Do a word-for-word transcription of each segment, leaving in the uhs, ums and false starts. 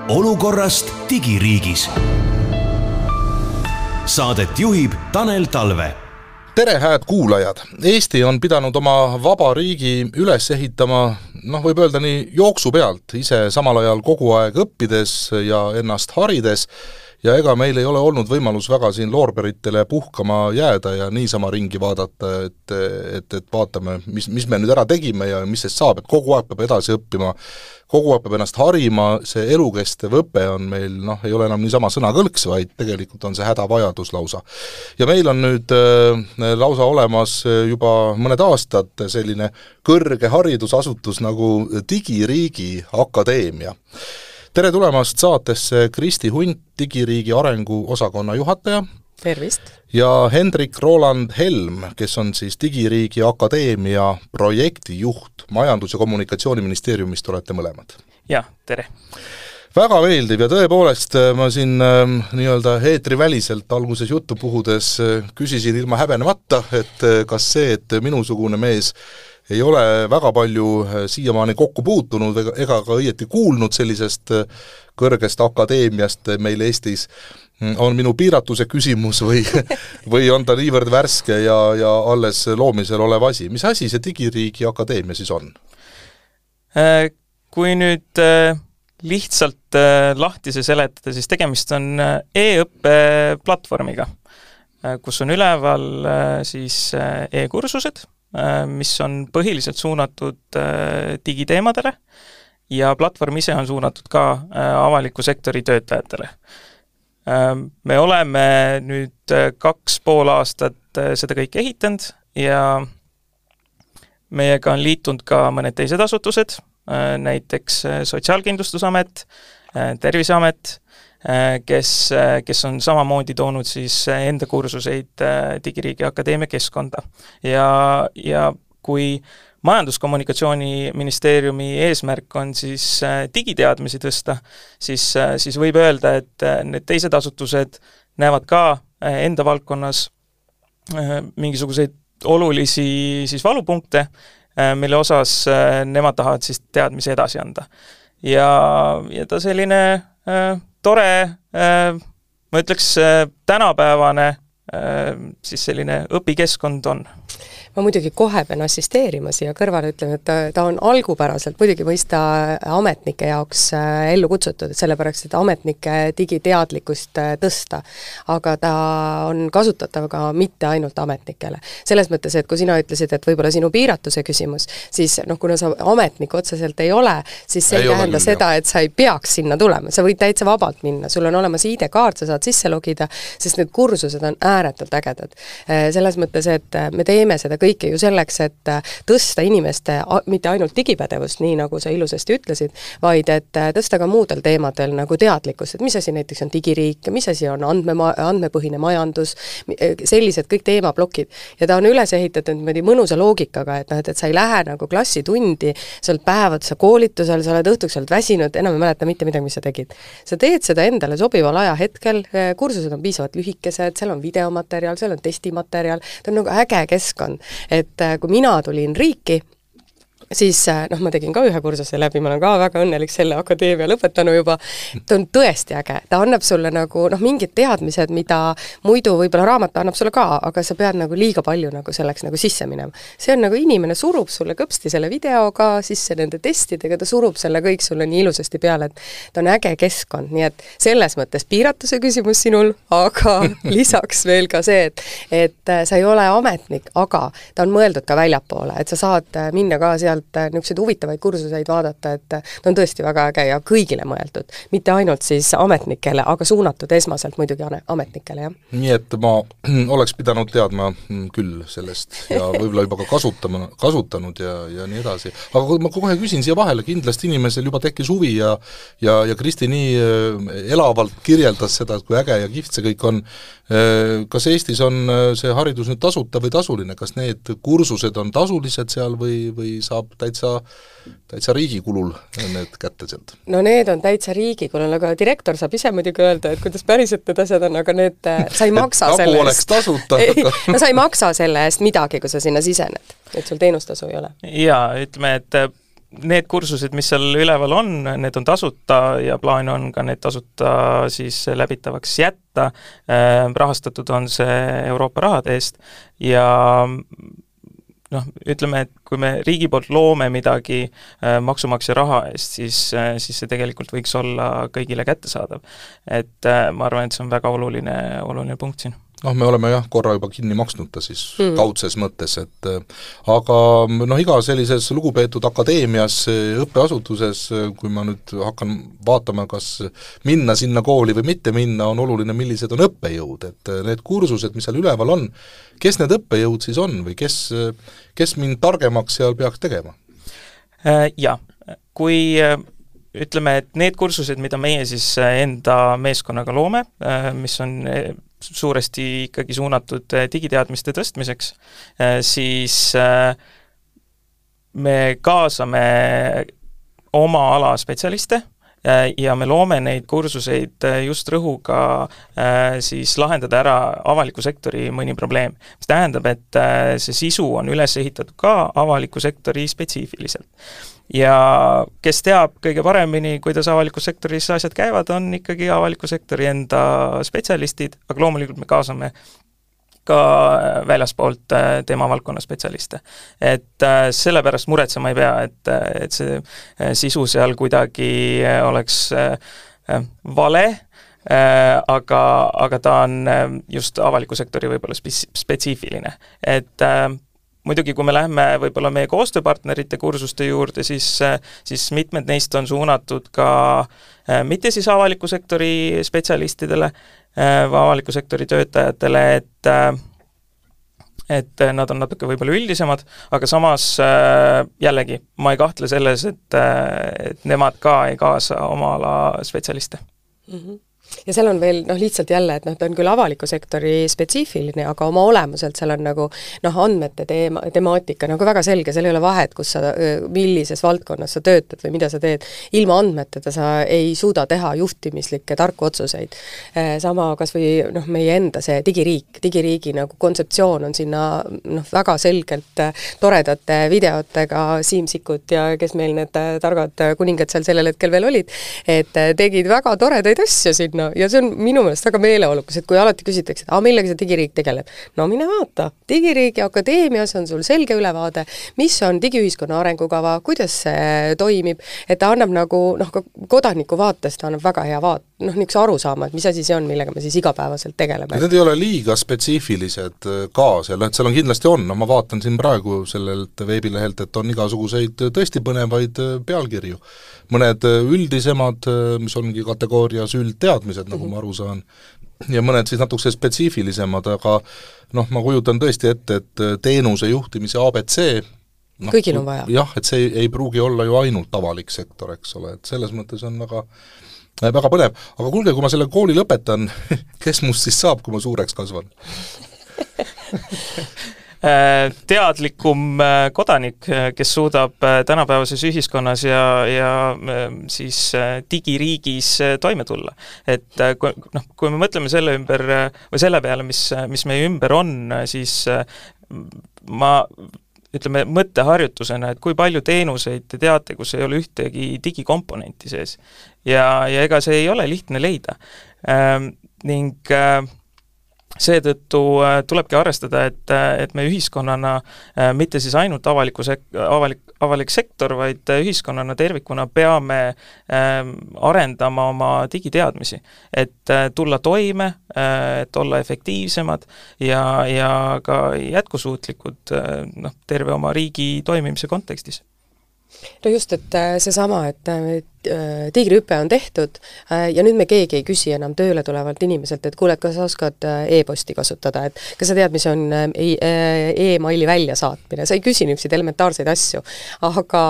olukorrast digiriigis. Saadet juhib Tanel Talve. Tere, hääd kuulajad! Eesti on pidanud oma vaba riigi üles ehitama, noh võib öelda nii jooksu pealt, ise samal ajal kogu aeg õppides ja ennast harides, ja ega meil ei ole olnud võimalus väga siin loorberitele puhkama jääda ja niisama ringi vaadata, et, et, et vaatame, mis, mis me nüüd ära tegime ja mis sest saab, et kogu aeg peab edasi õppima, kogu aeg peab ennast harima, see elukestev õpe on meil, noh, ei ole enam niisama sõnakõlks, vaid tegelikult on see hädavajadus lausa. Ja meil on nüüd äh, lausa olemas juba mõned aastad selline kõrge haridusasutus nagu Digiriigi Akadeemia. Tere tulemast saatesse Kristi Hunt, Digiriigi arengu osakonna juhataja. Tervist! Ja Hendrik Roland Helm, kes on siis Digiriigi Akadeemia projektijuht. Majandus- ja Kommunikatsiooniministeeriumist olete mõlemad. Ja, tere! Väga meeldiv ja tõepoolest ma siin äh, nii-öelda eetriväliselt alguses juttu puhudes äh, küsisin ilma häbenemata, et äh, kas see, et minusugune mees ei ole väga palju siiamaani kokku puutunud ega ka õieti kuulnud sellisest kõrgest akadeemiast meil Eestis, on minu piiratuse küsimus või, või on ta niivõrd värske ja, ja alles loomisel olev asi. Mis asi see Digiriigi Akadeemia siis on? Kui nüüd lihtsalt lahtise seletada, siis tegemist on e-õppe platvormiga, kus on üleval siis e-kursused, mis on põhiliselt suunatud digiteemadele ja platvorm ise on suunatud ka avaliku sektori töötajatele. Me oleme nüüd kaks pool aastat seda kõik ehitanud ja meiega on liitunud ka mõned teised asutused, näiteks Sotsiaalkindlustusamet, Terviseamet, kes, kes on samamoodi toonud siis enda kursuseid Digiriigi Akadeemia keskkonda. Ja, ja kui Majandus-Kommunikatsiooniministeeriumi eesmärk on siis digiteadmisi tõsta, siis, siis võib öelda, et need teised asutused näevad ka enda valdkonnas mingisuguseid olulisi siis valupunkte, mille osas nemad tahavad siis teadmisi edasi anda. Ja, ja ta selline tore, ma ütleks, tänapäevane siis selline õpikeskkond on. Ma muidugi kohe pean assisteerima siia kõrvale, ütleme, et ta, ta on algupäraselt muidugi mõista ametnike jaoks ellu kutsutud, et sellepärast, et ametnike digiteadlikkust tõsta, aga ta on kasutatav ka mitte ainult ametnikele. Selles mõttes, et kui sina ütlesid, et võib-olla sinu piiratuse küsimus, siis noh, kuna sa ametnik otseselt ei ole, siis see ei, ei tähenda seda, et sa ei peaks sinna tulema. Sa võid täitsa vabalt minna, sul on olemas I D-kaart, sa saad sisse logida, sest need kursused on ääretult ägedad. Selles mõttes, et me teeme seda kõike ju selleks, et tõsta inimeste mitte ainult digipädevust, nii nagu sa ilusasti ütlesid, vaid et tõsta ka muudel teemadel nagu teadlikkust, et mis asi näiteks on digiriik, mis asi on andme, andmepõhine majandus, sellised kõik teemablokid. Ja ta on üles ehitatud mõnusa loogikaga, et, et sa ei lähe nagu klassitundi, sa oled päevad sa koolitusel, sa oled õhtuks oled väsinud, enam ei mäleta mitte midagi, mis sa tegid. Sa teed seda endale sobival ajahetkel, kursused on piisavalt lühikesed, seal on videomaterjal, seal on testimaterjal, ta on nagu äge keskkond. Et kui mina tulin riiki, siis noh, ma tegin ka ühe kursuse läbi, ma olen ka väga õnnelik selle akadeemia lõpetanu juba, ta on tõesti äge, ta annab sulle nagu noh, mingid teadmised, mida muidu võib-olla raamat annab sulle ka, aga sa pead nagu liiga palju nagu selleks nagu sisse minema. See on nagu inimene surub sulle kõpsti selle videoga, sisse nende testidega, ta surub selle kõik sulle nii ilusasti peale, et ta on äge keskkond, nii et selles mõttes piiratuse küsimus sinul, aga lisaks veel ka see, et, et sa ei ole ametnik, aga ta on mõeldud ka väljapoole, et sa saad minna ka seal niisuguseid huvitavaid kursuseid vaadata, et ta on tõesti väga äge ja kõigile mõeldud. Mitte ainult siis ametnikele, aga suunatud esmaselt muidugi ametnikele, jah. Nii et ma oleks pidanud teadma küll sellest ja võib-olla juba ka kasutama, kasutanud ja, ja nii edasi. Aga kui ma kohe küsin siia vahele, kindlasti inimesel juba tekkis huvi ja, ja, ja Kristi nii elavalt kirjeldas seda, kui äge ja kiht see kõik on. Kas Eestis on see haridus nüüd tasuta või tasuline? Kas need kursused on tasulised seal või, või saab täitsa, täitsa riigikulul need kätte sealt? No need on täitsa riigikulul, aga direktor saab ise muidugi öelda, et kuidas päriselt need asjad on, aga need, sa ei maksa selle eest. Oleks tasuta. Ei, no sa ei maksa selle eest midagi, kui sa sinna sisened, et sul teenustasu ei ole. Jaa, ütleme, et need kursused, mis seal üleval on, need on tasuta ja plaan on ka need tasuta siis läbitavaks jätta, rahastatud on see Euroopa rahade eest ja noh, ütleme, et kui me riigi poolt loome midagi maksumaksja raha eest, siis, siis see tegelikult võiks olla kõigile kättesaadav. Et ma arvan, et see on väga oluline, oluline punkt siin. noh, me oleme jah, korra juba kinni maksnud ta siis mm. kaudses mõttes, et aga noh, iga sellises lugupeetud akadeemias, õppeasutuses, kui ma nüüd hakkan vaatama, kas minna sinna kooli või mitte minna, on oluline, millised on õppejõud, et need kursused, mis seal üleval on, kes need õppejõud siis on või kes, kes mind targemaks seal peaks tegema? Jah, kui ütleme, et need kursused, mida meie siis enda meeskonnaga loome, mis on suuresti ikkagi suunatud digiteadmiste tõstmiseks, siis me kaasame oma ala spetsialiste ja me loome neid kursuseid just rõhuga siis lahendada ära avaliku sektori mõni probleem. Mis tähendab, et see sisu on üles ehitatud ka avaliku sektori spetsiifiliselt. Ja kes teab kõige paremini, kuidas avalikus sektoris asjad käivad, on ikkagi avaliku sektori enda spetsialistid, aga loomulikult me kaasame ka väljaspoolt tema valdkonna spetsialiste. Et sellepärast muretsema ei pea, et, et see sisu seal kuidagi oleks vale, aga, aga ta on just avaliku sektori võib-olla spetsiifiline. Et muidugi, kui me läheme võib-olla meie koostööpartnerite kursuste juurde, siis, siis mitmed neist on suunatud ka mitte siis avaliku sektori spetsialistidele või avaliku sektori töötajatele, et, et nad on natuke võib-olla üldisemad, aga samas jällegi, ma ei kahtle selles, et, et nemad ka ei kaasa oma ala spetsialiste. Mm-hmm. Ja seal on veel noh, lihtsalt jälle, et noh, ta on küll avaliku sektori spetsiifiline, aga oma olemuselt seal on nagu noh, andmete teema, temaatika nagu väga selge, seal ei ole vahet, kus sa, millises valdkonnas sa töötad või mida sa teed. Ilma andmeteta sa ei suuda teha juhtimislikke tarku otsuseid. Sama kas või noh, meie enda see digiriik, digiriigi nagu kontseptsioon on sinna noh, väga selgelt toredate videotega Siim Sikkut ja kes meil need targad kuningad seal sellel hetkel veel olid, et tegid väga toredaid asju sinna. No, ja see on minu meelest väga meeleolukas, et kui alati küsitakse, et ah, millega see digiriik tegeleb, no mine vaata, digiriigi akadeemias on sul selge ülevaade, mis on digiühiskonna arengukava, kuidas see toimib, et ta annab nagu, noh, ka kodaniku vaatest ta annab väga hea vaat, noh, niisuguse aru saama, et mis asi see on, millega me siis igapäevaselt tegeleme. Need ei ole liiga spetsiifilised ka seal, et seal on kindlasti on, no ma vaatan siin praegu sellelt veebilehelt, et on igasuguseid tõesti põnevaid pealkirju. Mõned üldisemad, mis ongi kategoorias üldteadmised, nagu ma aru saan, ja mõned siis natukese spetsiifilisemad, aga noh, ma kujutan tõesti ette, et teenuse juhtimise A B C no, kõigil on vaja. Jah, et see ei, ei pruugi olla ju ainult avalik sektor, eks ole, et selles mõttes on väga väga põnev, aga kuulge, kui ma selle kooli lõpetan, kes must siis saab, kui ma suureks kasvan? Teadlikum kodanik, kes suudab tänapäevases ühiskonnas ja, ja siis digiriigis toime tulla. Et kui, noh, kui me mõtleme selle ümber või selle peale, mis, mis meie ümber on, siis ma ütleme mõtteharjutusena, et kui palju teenuseid te teate, kus ei ole ühtegi digikomponenti sees. Ja, ja ega see ei ole lihtne leida. Ähm, ning äh, seetõttu äh, tulebki arvestada, et, et me ühiskonnana äh, mitte siis ainult avaliku sek- avalik, avalik sektor, vaid ühiskonnana tervikuna peame äh, arendama oma digiteadmisi, et äh, tulla toime, äh, et olla efektiivsemad ja, ja ka jätkusuutlikud äh, noh, terve oma riigi toimimise kontekstis. No just, et seesama, et tiigrihüpe on tehtud ja nüüd me keegi ei küsi enam tööle tulevalt inimeselt, et kuule, et kas sa oskad e-posti kasutada, et kas sa tead, mis on e-maili väljasaatmine, sa ei küsi niisuguseid elementaarseid asju, aga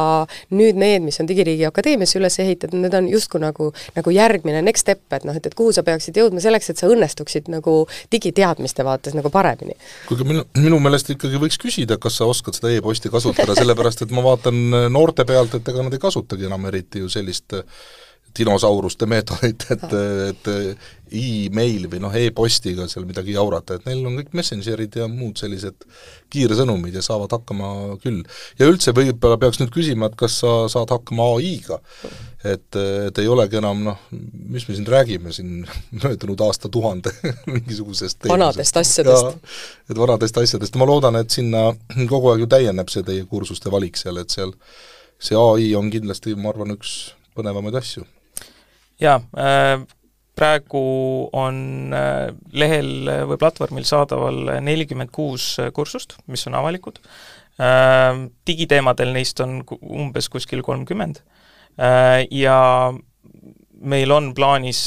nüüd need, mis on Digiriigi Akadeemiasse üles ehitatud, need on justkui nagu, nagu järgmine next step, et noh, et, et kuhu sa peaksid jõudma selleks, et sa õnnestuksid nagu digiteadmiste vaates nagu paremini. Kuigi minu, minu meelest ikkagi võiks küsida, kas sa oskad seda e-posti kasutada, sellepärast et ma vaatan noorte pealt, et ega nad ei kasutagi enam eriti ju sellist dinosauruste meetodit, et, et e-mail või noh, e-postiga seal midagi jaurata, et neil on kõik messengerid ja muud sellised kiiresõnumid ja saavad hakkama küll. Ja üldse võib-olla peaks nüüd küsima, et kas sa saad hakkama A I-ga, et, et ei olegi enam, noh, mis me siin räägime siin möödunud aasta tuhande mingisugusest vanadest asjadest. Et vanadest asjadest. Ma loodan, et sinna kogu aeg ju täieneb see teie kursuste valik seal, et seal see A I on kindlasti, ma arvan, üks põnevamaid asju. Jaa, praegu on lehel või platvormil saadaval nelikümmend kuus kursust, mis on avalikud. Digiteemadel neist on umbes kuskil kolmkümmend. Ja meil on plaanis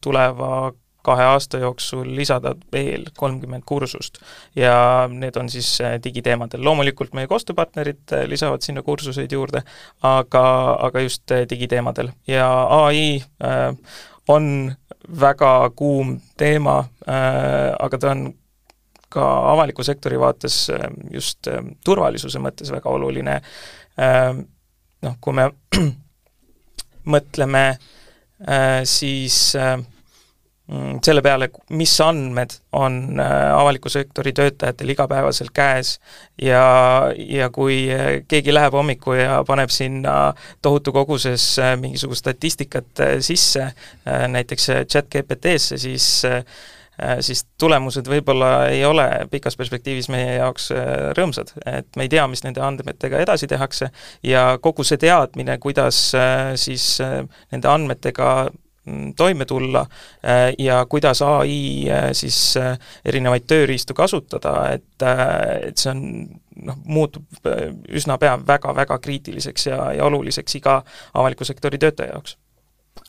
tuleva kahe aasta jooksul lisada veel kolmkümmend kursust ja need on siis digiteemadel. Loomulikult meie koostööpartnerid lisavad sinna kursuseid juurde, aga, aga just digiteemadel. Ja A I äh, on väga kuum teema, äh, aga ta on ka avaliku sektori vaates just äh, turvalisuse mõttes väga oluline. Äh, noh, kui me mõtleme, äh, siis äh, selle peale, mis andmed on avaliku sektori töötajatel igapäevaselt käes ja, ja kui keegi läheb hommiku ja paneb sinna tohutu koguses mingisugust statistikat sisse, näiteks chat G P T-sse, siis, siis tulemused võib-olla ei ole pikas perspektiivis meie jaoks rõõmsad. Et me ei tea, mis nende andmetega edasi tehakse ja kogu see teadmine, kuidas siis nende andmetega toime tulla ja kuidas A I siis erinevaid tööriistu kasutada, et, et see on, noh, muutub üsna pea väga-väga kriitiliseks ja, ja oluliseks iga avaliku sektori töötaja jaoks.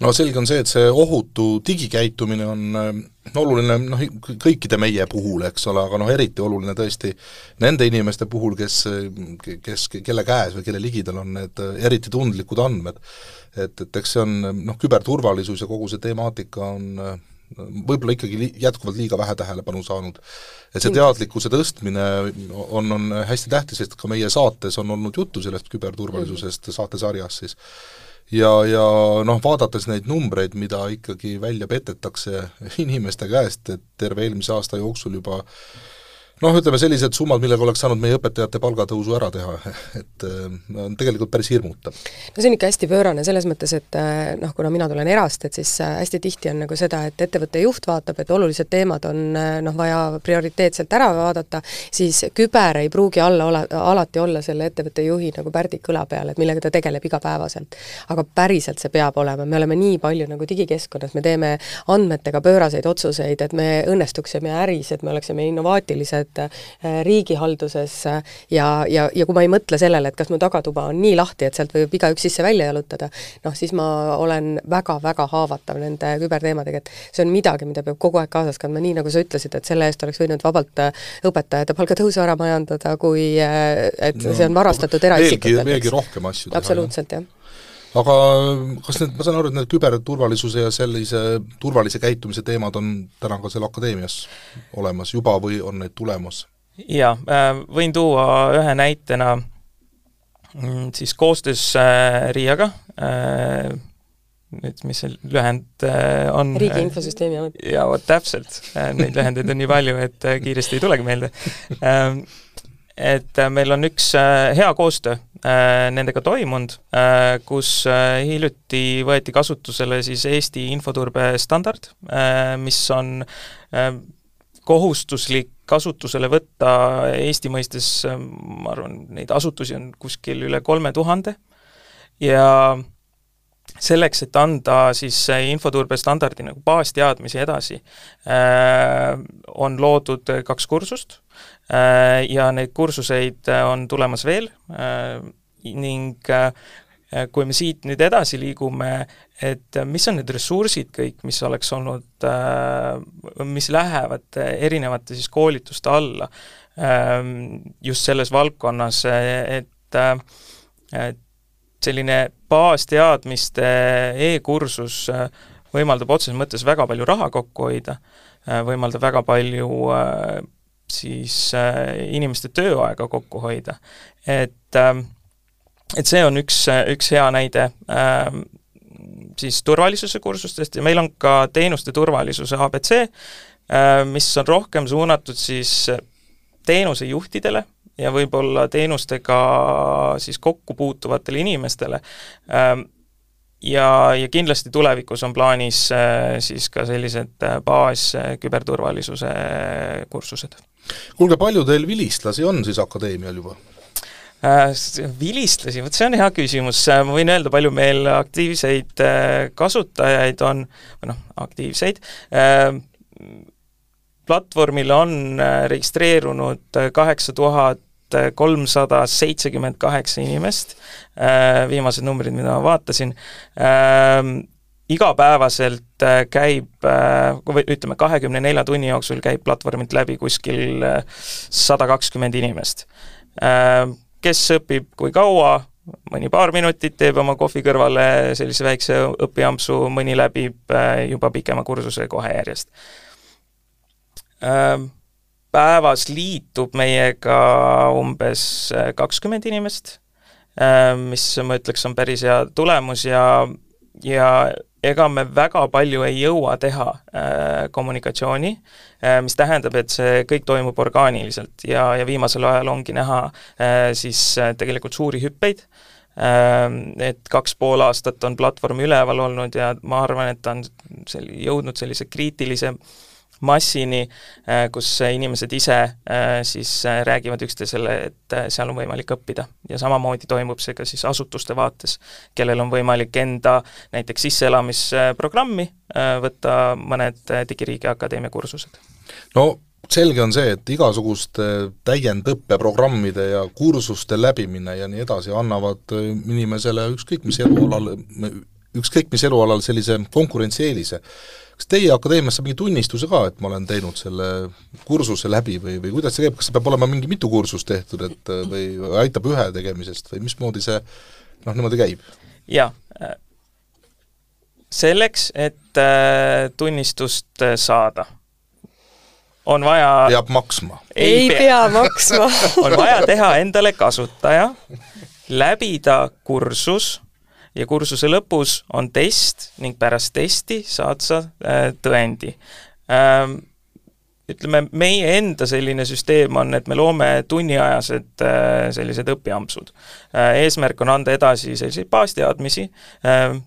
No selge on see, et see ohutu digikäitumine on oluline noh, kõikide meie puhul, eks ole, aga noh, eriti oluline tõesti nende inimeste puhul, kes, kes, kelle käes või kelle ligidal on need eriti tundlikud andmed. Et, et eks see on, noh, küberturvalisus ja kogu see temaatika on võib-olla ikkagi li, jätkuvalt liiga vähe tähelepanu saanud. Et see teadlikkuse tõstmine on, on hästi tähtis, sest ka meie saates on olnud juttu sellest küberturvalisusest saatesarjas siis. Ja, ja noh, vaadates neid numbreid, mida ikkagi välja petetakse inimeste käest, et terve eelmise aasta jooksul juba noh, ütleme sellised summad, millega oleks saanud meie õpetajate palgatõusu ära teha, et on tegelikult päris hirmutav. No see on ikka hästi pöörane selles mõttes, et noh, kuna mina tulen erast, et siis hästi tihti on nagu seda, et ettevõtte juht vaatab, et olulised teemad on noh, vaja prioriteetselt ära vaadata, siis küber ei pruugi alla ole, alati olla selle ettevõtte juhi nagu pärdik kõla peal, et millega ta tegeleb igapäevaselt. Aga päriselt see peab olema, me oleme nii palju nagu digikeskkonnas, me teeme andmetega pööraseid otsuseid, et me õnnestuksime äris, et me oleksime innovaatilised riigihalduses ja, ja, ja kui ma ei mõtle sellele, et kas mu tagatuba on nii lahti, et sealt võib igaüks sisse välja jalutada, noh siis ma olen väga-väga haavatav nende küberteemadega, et see on midagi, mida peab kogu aeg kaasas kandma, nii nagu sa ütlesid, et selle eest oleks võinud vabalt õpetajate palgatõusu ära majandada, kui et no, see on varastatud eraisikutelt. Veelgi, veelgi rohkem asju teha. Absoluutselt, jah. Aga kas need, ma saan aru, et need küberturvalisuse ja sellise turvalise käitumise teemad on täna ka seal akadeemias olemas juba või on need tulemas? Jaa, võin tuua ühe näitena siis koostöös Riiaga, nüüd mis see lühend on? Riigi infosüsteemi amet. Jaa, vot täpselt, neid lühendeid on nii palju, et kiiresti ei tulegi meelde. Et meil on üks hea koostöö nendega toimunud, kus hiljuti võeti kasutusele siis Eesti infoturbe standard, mis on kohustuslik kasutusele võtta Eesti mõistes, ma arvan, neid asutusi on kuskil üle kolme tuhande ja selleks, et anda siis infoturbe standardi nagu baasteadmisi edasi, on loodud kaks kursust ja neid kursuseid on tulemas veel ning kui me siit nüüd edasi liigume, et mis on need ressursid kõik, mis oleks olnud, mis lähevad erinevate siis koolituste alla just selles valdkonnas, et, et selline baasteadmiste e-kursus võimaldab otseses mõttes väga palju raha kokku hoida, võimaldab väga palju siis inimeste tööaega kokku hoida. Et, et see on üks, üks hea näide. siis turvalisuse kursustest ja meil on ka teenuste turvalisuse A B C, mis on rohkem suunatud siis teenusejuhtidele ja võib-olla teenustega siis kokku puutuvatele inimestele. Ja, ja kindlasti tulevikus on plaanis siis ka sellised baas küberturvalisuse kursused. Kuulge, palju teil vilistlasi on siis akadeemial juba? Vilistlasi, võt see on hea küsimus, ma võin öelda, palju meil aktiivseid kasutajaid on, või noh, aktiivseid, platvormil on registreerunud kaheksa tuhat kolmsada seitsekümmend kaheksa inimest, viimased numbrid, mida ma vaatasin, igapäevaselt käib, ütleme, kahekümne nelja tunni jooksul käib platvormilt läbi kuskil sada kakskümmend inimest. Kes õpib kui kaua, mõni paar minutit teeb oma kohvi kõrvale sellise väikse õpiampsu, mõni läbib juba pikema kursuse kohe järjest. Päevas liitub meiega umbes kakskümmend inimest, mis ma ütleks on päris hea tulemus ja, ja ega me väga palju ei jõua teha kommunikatsiooni, mis tähendab, et see kõik toimub orgaaniliselt ja, ja viimasel ajal ongi näha siis tegelikult suuri hüppeid, et kaks pool aastat on platvorm üleval olnud ja ma arvan, et ta on sel- jõudnud sellise kriitilise massini, kus inimesed ise siis räägivad üksteisele, et seal on võimalik õppida. Ja samamoodi toimub see ka siis asutuste vaates, kellel on võimalik enda näiteks sisseelamisprogrammi võtta mõned Digiriigi Akadeemia kursused. No selge on see, et igasuguste täiendõppeprogrammide ja kursuste läbimine ja nii edasi annavad inimesele ükskõik mis elualal, ükskõik mis elualal sellise konkurentsieelise. Kas teie akadeemias saab mingi tunnistuse ka, et ma olen teinud selle kursuse läbi või, või kuidas see käib, kas see peab olema mingi mitu kursust tehtud, et või aitab ühe tegemisest või mismoodi see noh, niimoodi käib? Ja, selleks, et tunnistust saada, on vaja... Peab maksma. Ei, ei pea, pea maksma. On vaja teha endale kasutaja, läbida kursus, ja kursuse lõpus on test ning pärast testi saad sa äh, tõendi. Ähm, ütleme, meie enda selline süsteem on, et me loome tunniajased äh, sellised õpiampsud. Äh, eesmärk on anda edasi selliseid baasteadmisi, äh,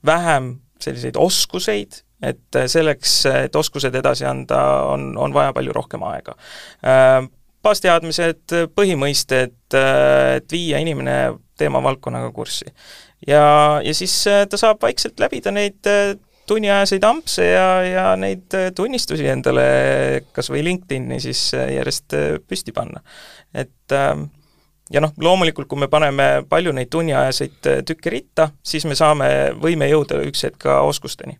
vähem selliseid oskuseid, et selleks, et oskused edasi anda, on, on vaja palju rohkem aega. Äh, baasteadmised, põhimõisted, et viia inimene teemavaldkonnaga kurssi. Ja, ja siis ta saab vaikselt läbida neid tunniajaseid ampse ja, ja neid tunnistusi endale kas või LinkedIni siis järjest püsti panna. Et ja noh, loomulikult, kui me paneme palju neid tunniajaseid tükke ritta, siis me saame, võime jõuda üks hetk ka oskusteni.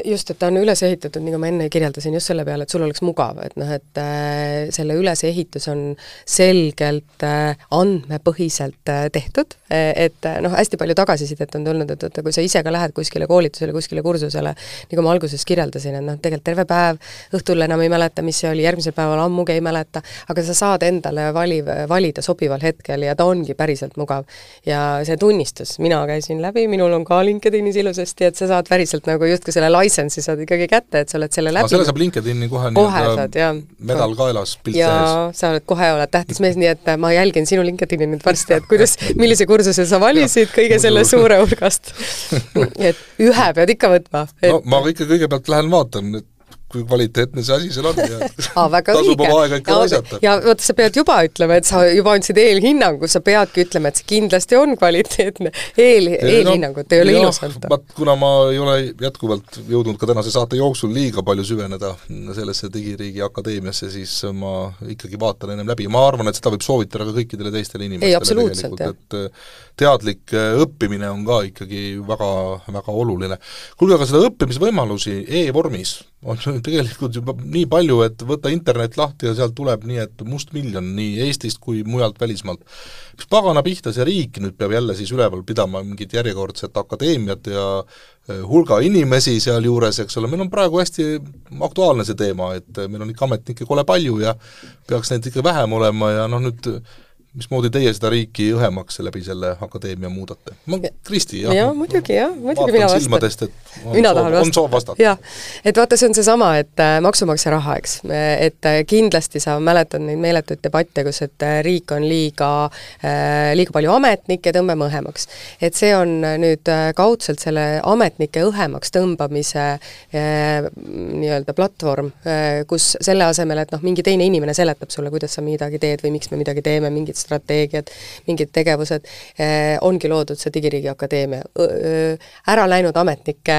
Just, et ta on üles ehitatud, nagu ma enne kirjeldasin, just selle peale, et sul oleks mugav, et noh, et äh, selle ülesehitus on selgelt äh, andmepõhiselt äh, tehtud, et noh, hästi palju tagasisidet on tulnud, et, et kui sa ise ka lähed kuskile koolitusele, kuskile kursusele, nagu ma alguses kirjeldasin, et noh, tegelikult terve päev, õhtul enam ei mäleta, mis see oli, järgmisel päeval ammugi ei mäleta, aga sa saad endale vali, valida sobival hetkel ja ta ongi päriselt mugav. Ja see tunnistus, mina käisin läbi, minul on ka LinkedInis ilusasti, et sa saad päriselt nagu justkui selle licensi saad ikkagi kätte, et sa oled selle läbi. Selle saab LinkedIni kohe, kohe saad, ja. medal kaelas, pilt ja sees. Sa oled kohe, oled tähtis mees, nii et ma jälgin sinu LinkedIni nüüd varsti, et kuidas, millise kursuse sa valisid kõige selle suure hulgast. Et ühe pead ikka võtma. Et... No, ma ikka kõigepealt lähen vaatan, et kui kvaliteetne see asi seal on ja Aa, väga tasub õige. oma aega ikka raisata. Ja võtta, sa pead juba ütlema, et sa juba andsid eelhinnangu, sa peadki ütlema, et see kindlasti on kvaliteetne. Eel, eelhinnangut no, ei ole ilus anda. Kuna ma ei ole jätkuvalt jõudnud ka tänase saate jooksul liiga palju süveneda sellesse Digiriigi Akadeemiasse, siis ma ikkagi vaatan ennem läbi. Ma arvan, et seda võib soovitada ka kõikidele teistele inimestele. Ei, absoluutselt, et teadlik õppimine on ka ikkagi väga, väga oluline. Kuulge, aga seda õppimisvõimalusi e-vormis on tegelikult juba nii palju, et võtta internet lahti ja sealt tuleb nii, et must miljon nii Eestist kui mujalt välismaalt. Mis pagana pihta see riik nüüd peab jälle siis üleval pidama mingit järjekordset akadeemiat ja hulga inimesi seal juures, eks ole, meil on praegu hästi aktuaalne see teema, et meil on ikka ametnikke kole palju ja peaks neid ikka vähem olema ja noh nüüd mismoodi teie seda riiki õhemaks läbi selle akadeemia muudate? Ma, Kristi, jah. Jah, muidugi, jah, muidugi mina vastan. Silmadest, et on, mina soov, on soov vastata. Jah, et vaata, see on see sama, et maksumaksja raha, eks, et kindlasti sa mäletad neid meeletuid debatte, kus et riik on liiga, liiga palju ametnikke, tõmbame õhemaks. Et see on nüüd kaudselt selle ametnike õhemaks tõmbamise nii-öelda platvorm, kus selle asemel, et noh, mingi teine inimene seletab sulle, kuidas sa midagi teed või miks me midagi teeme, mingid strateegiad, mingid tegevused, eh, ongi loodud see Digiriigi Akadeemia ära läinud ametnike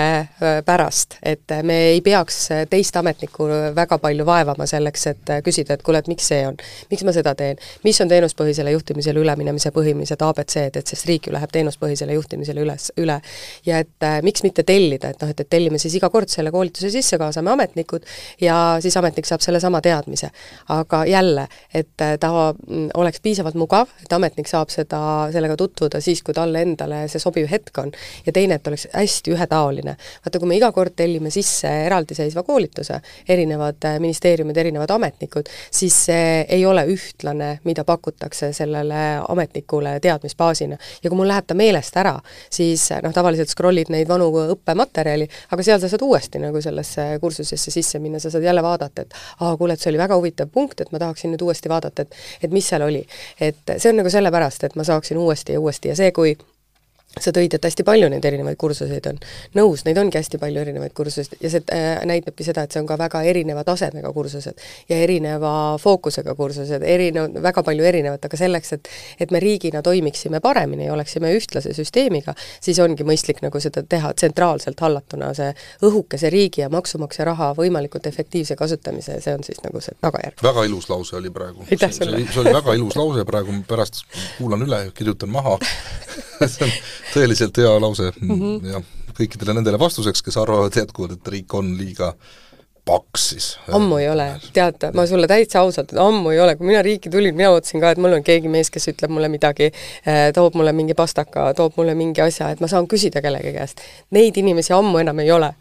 pärast, et me ei peaks teist ametnikku väga palju vaevama selleks, et küsida, et kuule, et miks see on, miks ma seda teen, mis on teenuspõhisele juhtimisele üleminemise põhimised A B C-d, et sest riik ju läheb teenuspõhisele juhtimisele üles, üle. Ja et äh, miks mitte tellida, et noh, et, et tellime siis iga kord selle koolituse sisse, kaasame ametnikud ja siis ametnik saab selle sama teadmise. Aga jälle, et ta oleks piisavalt mugav, et ametnik saab seda, sellega tutvuda siis, kui talle endale see sobiv hetk on. Ja teine, et oleks hästi ühetaoline. Vaata, kui me iga kord tellime sisse eraldiseisva koolituse, erinevad ministeeriumid, erinevad ametnikud, siis see ei ole ühtlane, mida pakutakse sellele ametnikule teadmisbaasina. Ja kui mul läheb ta meelest ära, siis noh, tavaliselt scrollid neid vanu õppematerjali, aga seal sa saad uuesti nagu sellesse kursusesse sisse minna, sa saad jälle vaadata, et aa, kuule, et see oli väga huvitav punkt, et ma tahaksin nüüd uuesti vaadata, et, et mis seal oli. Et see on nagu sellepärast, et ma saaksin uuesti ja uuesti ja see, kui sa tõid, et hästi palju neid erinevaid kursuseid on. Nõus, neid ongi hästi palju erinevaid kursuseid ja see äh, näitabki seda, et see on ka väga erineva tasemega kursused ja erineva fookusega kursused, erinev, väga palju erinevat, aga selleks, et, et me riigina toimiksime paremini ja oleksime ühtlase süsteemiga, siis ongi mõistlik nagu seda teha tsentraalselt hallatuna, see õhukese riigi ja maksumaksja raha võimalikult efektiivse kasutamise, see on siis nagu see tagajärg. Väga ilus lause oli praegu. See, see, oli, see oli väga ilus lause, praegu pärast kuulan üle, kirjutan maha. See on tõeliselt hea lause mm -hmm. ja kõikidele nendele vastuseks, kes arvavad jätkuvalt, et riik on liiga paks siis. Ammu ei ole, tead, ma sulle täitsa ausalt, et ammu ei ole, kui mina riiki tulin, mina ootasin ka, et mul on keegi mees, kes ütleb mulle midagi, toob mulle mingi pastaka, toob mulle mingi asja, et ma saan küsida kellegi käest. Neid inimesi ammu enam ei ole.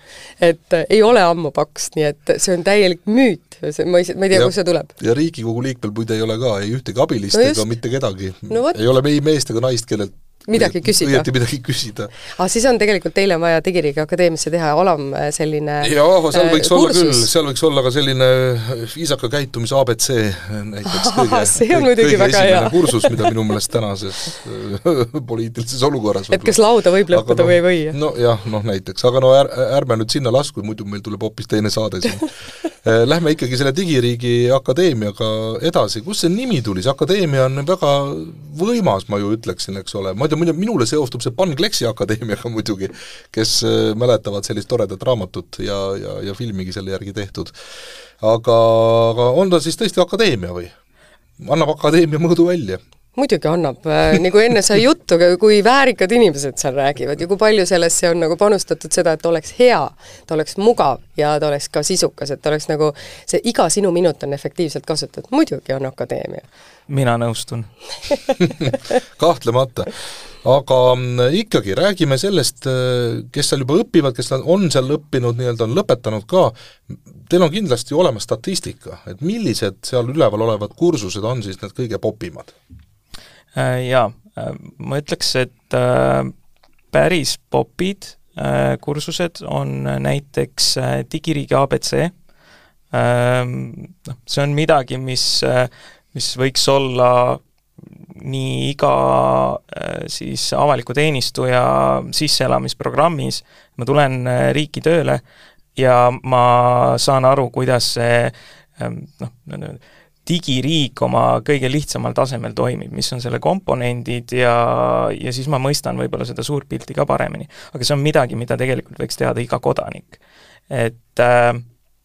Et ei ole ammu paks, nii et see on täielik müüt, ma ei, ma ei tea, kus see tuleb. Ja Riigikogu liikmel muide ei ole ka, ei ühtegi abilist no ega mitte kedagi. No ei ole ei meest ega naist, kellelt midagi küsida. Õieti midagi küsida. Ah, siis on tegelikult teile vaja Digiriigi Akadeemiasse teha alam selline jaa, seal võiks äh, olla küll, seal võiks olla ka selline viisaka käitumise A B C näiteks kõige, see on muidugi väga hea kursus, mida minu meelest tänases poliitilises olukorras et kas lauda võib lõppuda no, või ei või? No jah, noh näiteks, aga no är, ärme nüüd sinna lasku, muidu meil tuleb hoopis teine saade siin. Lähme ikkagi selle Digiriigi Akadeemiaga edasi, kus see nimi tuli, see akadeemia on väga võimas, ma ju ütleksin, eks ole, ma muidu minule seostub see Pan Kleksi Akadeemiaga muidugi, kes mäletavad sellist toredat raamatut ja, ja, ja filmigi selle järgi tehtud. Aga, aga on ta siis tõesti akadeemia või? Annab akadeemia mõõdu välja? Muidugi annab, nagu enne sai juttu, kui väärikad inimesed seal räägivad ja kui palju sellesse on nagu panustatud seda, et oleks hea, ta oleks mugav ja ta oleks ka sisukas, et oleks nagu see iga sinu minut on efektiivselt kasutatud. Muidugi on akadeemia. Mina nõustun. Kahtlemata. Aga ikkagi räägime sellest, kes seal juba õpivad, kes on seal õppinud, nii-öelda on lõpetanud ka. Teil on kindlasti olemas statistika, et millised seal üleval olevad kursused on siis need kõige popimad? Jaa, ma ütleks, et päris popid kursused on näiteks Digiriigi A B C. See on midagi, mis, mis võiks olla nii iga siis avaliku teenistuja sisseelamisprogrammis. Ma tulen riiki tööle ja ma saan aru, kuidas see noh, digiriik oma kõige lihtsamal tasemel toimib, mis on selle komponendid ja, ja siis ma mõistan võib-olla seda suurt pilti ka paremini. Aga see on midagi, mida tegelikult võiks teada iga kodanik. Et äh,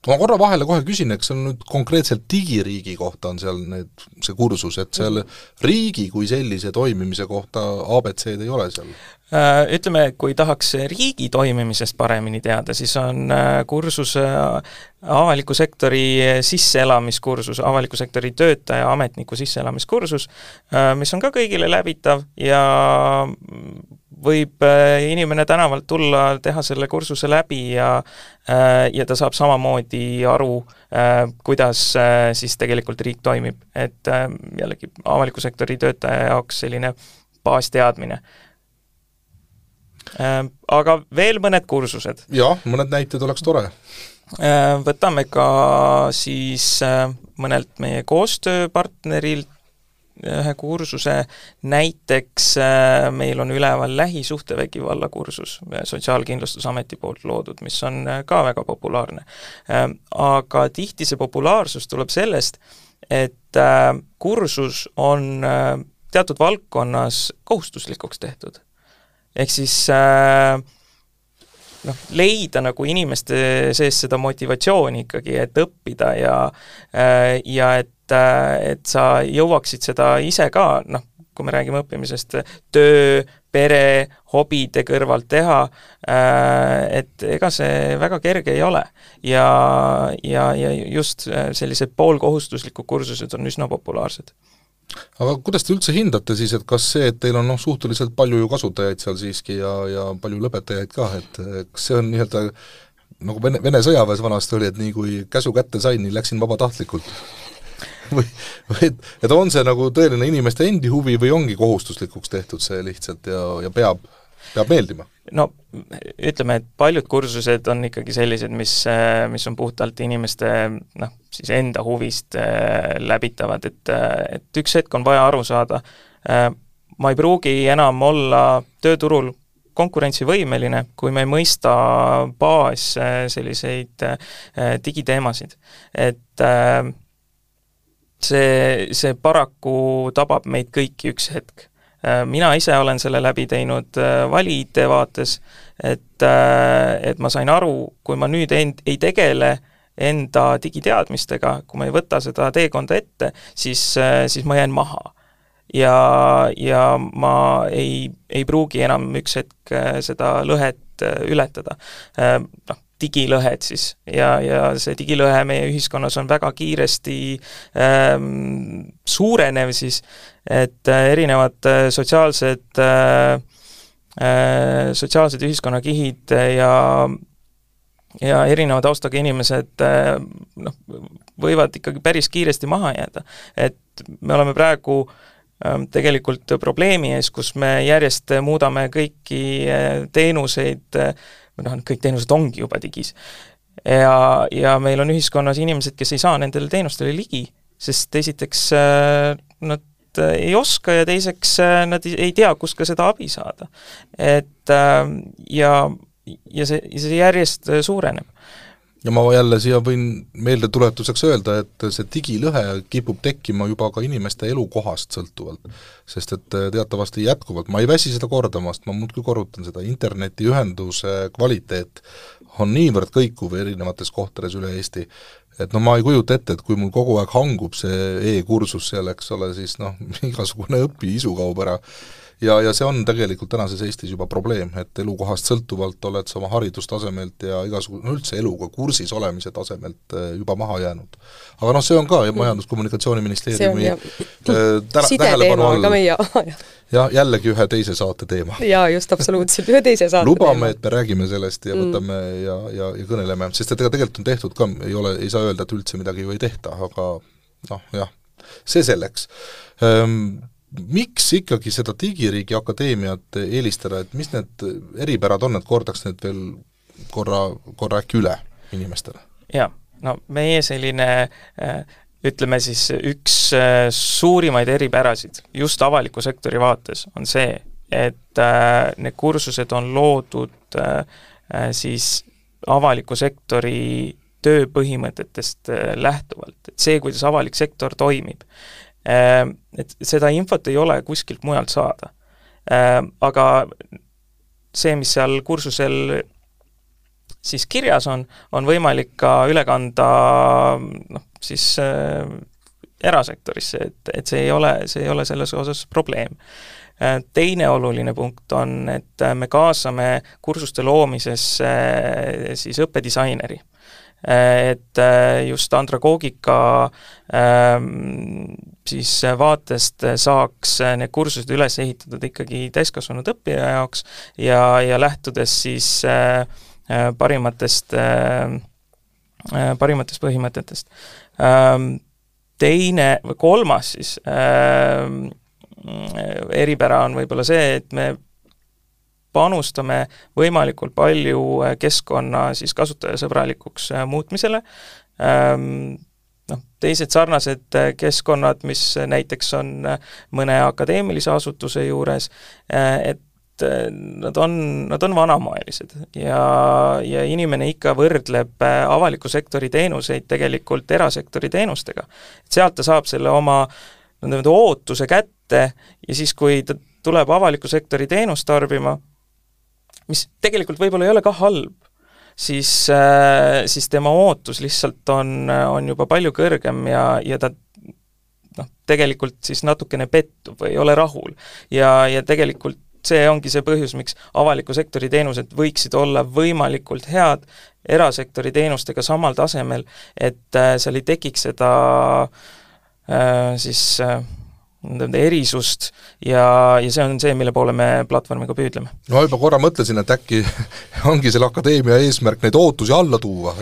ma korra vahele kohe küsin, eks see on nüüd konkreetselt digiriigi kohta on seal need, see kursus, et seal riigi kui sellise toimimise kohta A B C-d ei ole seal? Ütleme, kui tahaks riigi toimimisest paremini teada, siis on kursus avaliku sektori sisseelamiskursus, avaliku sektori töötaja ametniku sisseelamiskursus, mis on ka kõigile läbitav ja võib inimene tänavalt tulla, teha selle kursuse läbi ja, ja ta saab samamoodi aru, kuidas siis tegelikult riik toimib. Et jällegi avaliku sektori töötaja jaoks selline baasteadmine. Aga veel mõned kursused. Jah, mõned näited oleks tore. Võtame ka siis mõnelt meie koostööpartnerilt ühe kursuse, näiteks meil on üleval lähisuhtevägivalla kursus Sotsiaalkindlustusameti poolt loodud, mis on ka väga populaarne. Aga tihti see populaarsus tuleb sellest, et kursus on teatud valdkonnas kohustuslikuks tehtud. Ehk siis äh, noh, leida nagu inimeste sees seda motivatsiooni ikkagi, et õppida ja, äh, ja et, äh, et sa jõuaksid seda ise ka, noh, kui me räägime õppimisest, töö, pere, hobide kõrvalt teha, äh, et ega see väga kerge ei ole. Ja, ja, ja just sellised poolkohustuslikud kursused on üsna populaarsed. Aga kuidas te üldse hindate siis, et kas see, et teil on noh, suhteliselt palju ju kasutajaid seal siiski ja, ja palju lõpetajaid ka, et kas see on nii-öelda nagu Vene, Vene sõjaväes vanasti oli, et nii kui käsu kätte sain, nii läksin vabatahtlikult? või, või et, et on see nagu tõeline inimeste endi huvi või ongi kohustuslikuks tehtud see lihtsalt ja, ja peab, peab meeldima? No ütleme, et paljud kursused on ikkagi sellised, mis, mis on puhtalt inimeste noh, siis enda huvist läbitavad, et, et üks hetk on vaja aru saada. Ma ei pruugi enam olla tööturul konkurentsivõimeline, kui me ei mõista baas selliseid digiteemasid. Et see, see paraku tabab meid kõiki üks hetk. Mina ise olen selle läbi teinud vali-I T vaates, et, et ma sain aru, kui ma nüüd end, ei tegele enda digiteadmistega, kui ma ei võta seda teekonda ette, siis, siis ma jään maha. Ja, ja ma ei, ei pruugi enam üks hetk seda lõhet ületada. Noh, digilõhed siis ja, ja see digilõhe meie ühiskonnas on väga kiiresti ähm, suurenev siis, et äh, erinevad äh, sotsiaalsed äh, äh, sotsiaalsed ühiskonnakihid ja ja erineva taustaga inimesed äh, noh, võivad ikkagi päris kiiresti maha jääda. Et me oleme praegu äh, tegelikult probleemi ees, kus me järjest muudame kõiki äh, teenuseid äh, noh, kõik teenused ongi juba digis. Ja, ja meil on ühiskonnas inimesed, kes ei saa nendele teenustele ligi, sest esiteks nad ei oska ja teiseks nad ei tea, kus ka seda abi saada. Et ja, ja see, see järjest suureneb. Ja ma jälle siia võin meelde tuletuseks öelda, et see digilõhe kipub tekkima juba ka inimeste elukohast sõltuvalt, sest et teatavasti jätkuvalt, ma ei väsi seda kordamast, ma muudkui korrutan seda, internetiühenduse kvaliteet on niivõrd kõikuv erinevates kohtades üle Eesti, et no ma ei kujuta ette, et kui mul kogu aeg hangub see e-kursus seal, eks ole, siis noh, igasugune õpi-isu kaob ära. Ja, ja see on tegelikult tänases Eestis juba probleem, et elukohast sõltuvalt oled sa oma haridustasemelt ja igasugune, no üldse eluga kursis olemise tasemelt juba maha jäänud. Aga noh, see on ka Majandus-Kommunikatsiooniministeeriumi sideteema, aga meie ja jällegi ühe teise saate teema. Jaa, just absoluutselt, ühe teise saate Lubame, teema. et me räägime sellest ja võtame mm. ja, ja, ja kõneleme, sest et ega tegelikult on tehtud ka, ei ole, ei saa öelda, et üldse midagi ju ei tehta, aga noh, jah, see selleks. Ehm, miks ikkagi seda Digiriigi Akadeemiat eelistada, et mis need eripärad on, et kordaks need veel korra, korra äkki üle inimestele? Jaa, no meie selline, ütleme siis üks suurimaid eripärasid just avaliku sektori vaates on see, et need kursused on loodud siis avaliku sektori tööpõhimõtetest lähtuvalt, et see, kuidas avalik sektor toimib. Et seda infot ei ole kuskilt mujalt saada. Aga see, mis seal kursusel siis kirjas on, on võimalik ka üle kanda noh, siis äh, erasektorisse, et, et see ei ole, see ei ole selles osas probleem. Teine oluline punkt on, et me kaasame kursuste loomisesse siis õppedisaineri. Et just andragoogika siis vaatest saaks need kursused üles ehitatud ikkagi täiskasvanud õppija jaoks ja, ja lähtudes siis parimatest, parimatest põhimõtetest. Teine või kolmas siis eripära on võib-olla see, et me panustame võimalikult palju keskkonna siis kasutajasõbralikuks muutmisele. No, teised sarnased keskkonnad, mis näiteks on mõne akadeemilise asutuse juures, et nad on, nad on vanamaelised ja, ja inimene ikka võrdleb avaliku sektori teenuseid tegelikult erasektori teenustega. Sealt ta saab selle oma ootuse kätte ja siis, kui ta tuleb avaliku sektori teenust tarbima, mis tegelikult võib-olla ei ole ka halb, siis, siis tema ootus lihtsalt on, on juba palju kõrgem ja, ja ta noh, tegelikult siis natukene pettub või ei ole rahul. Ja, ja tegelikult see ongi see põhjus, miks avaliku sektori teenused võiksid olla võimalikult head erasektori teenustega samal tasemel, et seal ei tekiks seda äh, siis äh, erisust ja, ja see on see, mille poole me platvormiga püüdleme. No juba korra mõtlesin, et äkki ongi selle akadeemia eesmärk neid ootusi alla tuua.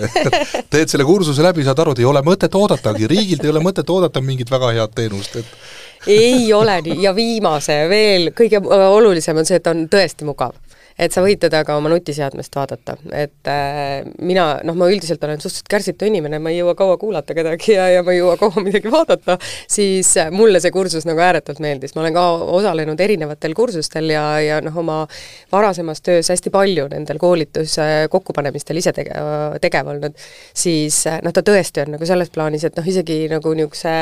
Teed selle kursuse läbi, saad aru, et ei ole mõtet oodatagi, riigilt ei ole mõtet oodata mingit väga head teenust. Et... ei ole nii ja viimase veel kõige olulisem on see, et on tõesti mugav. Et sa võid teda ka oma nutiseadmest vaadata, et äh, mina, noh, ma üldiselt olen suhteliselt kärsitu inimene, ma ei jõua kaua kuulata kedagi ja, ja ma ei jõua kaua midagi vaadata, siis mulle see kursus nagu ääretult meeldis. Ma olen ka osalenud erinevatel kursustel ja, ja noh, oma varasemas töös hästi palju nendel koolituse kokkupanemistel ise tege, tegev olnud, siis noh, ta tõesti on nagu selles plaanis, et noh, isegi nagu niisuguse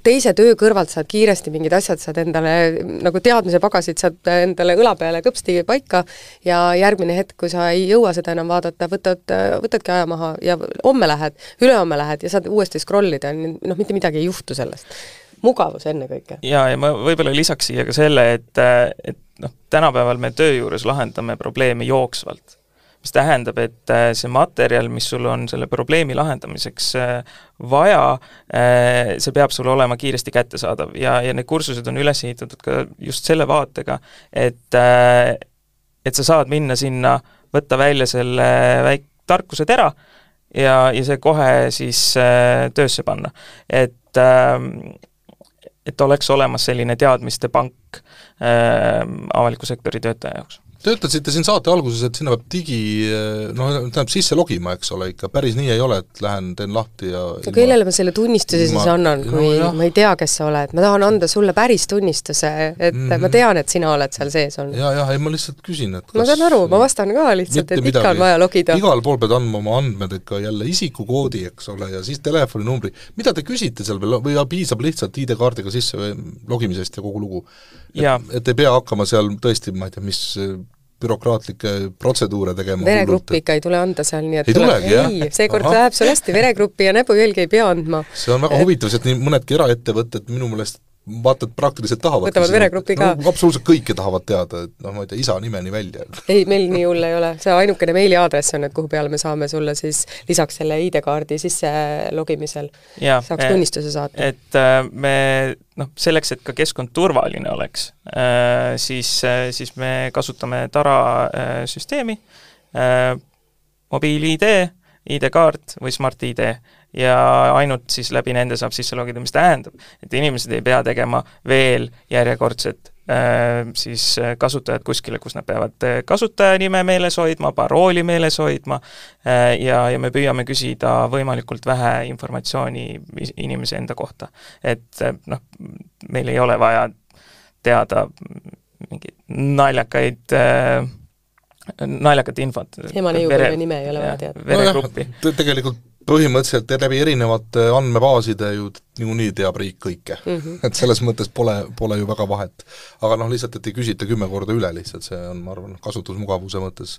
teise töö kõrvalt saad kiiresti mingid asjad, saad endale nagu teadmise pagasid, saad endale õla peale kõpsti paika ja järgmine hetk, kui sa ei jõua seda enam vaadata, võtad, võtadki aja maha ja homme lähed, ülehomme lähed ja saad uuesti scrollida, noh, mitte midagi ei juhtu sellest. Mugavus enne kõike. Ja, ja ma võib-olla lisaks siia ka selle, et, et noh, tänapäeval me töö juures lahendame probleemi jooksvalt. Mis tähendab, et see materjal, mis sul on selle probleemi lahendamiseks vaja, see peab sul olema kiiresti kättesaadav ja, ja need kursused on üles ehitatud ka just selle vaatega, et et sa saad minna sinna, võtta välja selle väik tarkuse tera ja, ja see kohe siis äh, töösse panna. Et, äh, et oleks olemas selline teadmiste pank äh, avaliku sektori töötaja jaoks. Töötasite siin saate alguses, et sinna peab digi, noh, tähendab sisse logima, eks ole, ikka päris nii ei ole, et lähen, teen lahti ja no kellele ma selle tunnistuse ilma, siis annan, kui no, ma ei tea, kes sa oled, ma tahan anda sulle päris tunnistuse, et mm -hmm. ma tean, et sina oled seal sees olnud. Ja, ja, ei, ma lihtsalt küsin, et kas ma saan aru, ma vastan ka lihtsalt, et ikka on vaja logida. Igal pool pead andma oma andmed, ikka jälle isikukoodi, eks ole, ja siis telefoninumbri. Mida te küsite seal veel, või piisab lihtsalt I D-kaardiga sisse või logimisest ja kogu lugu? Et, et ei pea hakkama seal tõesti, ma ei tea, mis bürokraatlikke protseduure tegema. Veregruppi ikka ei tule anda seal, nii et ei tuleb, tulegi, jah? Ei, seekord läheb sul hästi, veregruppi ja näpujälgi ei pea andma. See on väga et... huvitav, et nii mõnedki eraettevõtted minu meelest vaatad praktiliselt tahavad. Võtavad veregrupi ka. No, absoluutselt kõike tahavad teada, et noh, ma ei tea, isa nimeni välja. Ei, meil nii hull ei ole. See ainukene meiliaadress on, et kuhu peale me saame sulle siis lisaks selle I D-kaardi sisse logimisel ja, saaks tunnistuse saata. Et me, noh, selleks, et ka keskkond turvaline oleks, siis, siis me kasutame Tara süsteemi, mobiil-I D, I D-kaart või Smart I D ja ainult siis läbi nende saab sisse logida, mis tähendab, et inimesed ei pea tegema veel järjekordset äh, siis kasutajad kuskile, kus nad peavad kasutajanime meeles hoidma, parooli meeles hoidma äh, ja, ja me püüame küsida võimalikult vähe informatsiooni inimese enda kohta. Et noh, meil ei ole vaja teada mingeid naljakaid äh, naljakat infot. Ema neiu või nime ei ole vaja teada. Veregruppi. No jah, tegelikult põhimõtteliselt läbi erinevate andmebaaside ju niikuinii teab riik kõike mm. -hmm. et selles mõttes pole, pole ju väga vahet. aga noh, lihtsalt, et ei küsita kümme korda üle lihtsalt, see on, ma arvan, kasutusmugavuse mõttes